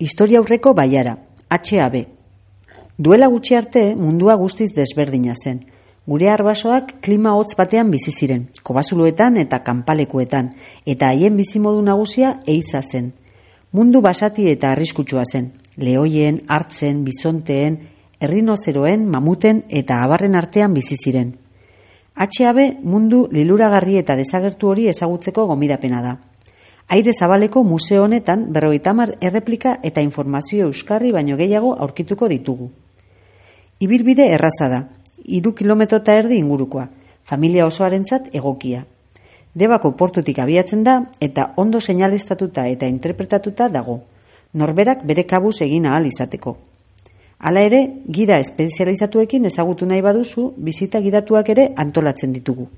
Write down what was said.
Historia aurreko baiara, HAB. Duela gutxi arte mundua guztiz desberdina zen. Gure arbasoak klima hotz batean bizi ziren, kobazuluetan eta kanpalekuetan, eta haien bizimodu nagusia eiza zen. Mundu basati eta arriskutsua zen. Lehoien, hartzen, bizonteen, errinozeroen, mamuten eta abarren artean bizi ziren. HAB mundu liluragarri eta desagertu hori ezagutzeko gomidapena da. Aire zabaleko museo honetan 50 erreplika eta informazio euskarri baino gehiago aurkituko ditugu. Ibilbide erraza da, 3,5 kilometro ingurukoa, familia osoarentzat egokia. Debako portutik abiatzen da eta ondo seinaleztatuta eta interpretatuta dago, norberak bere kabuz egin ahal izateko. Hala ere, gida espezializatuekin ezagutu nahi baduzu, bizita gidatuak ere antolatzen ditugu.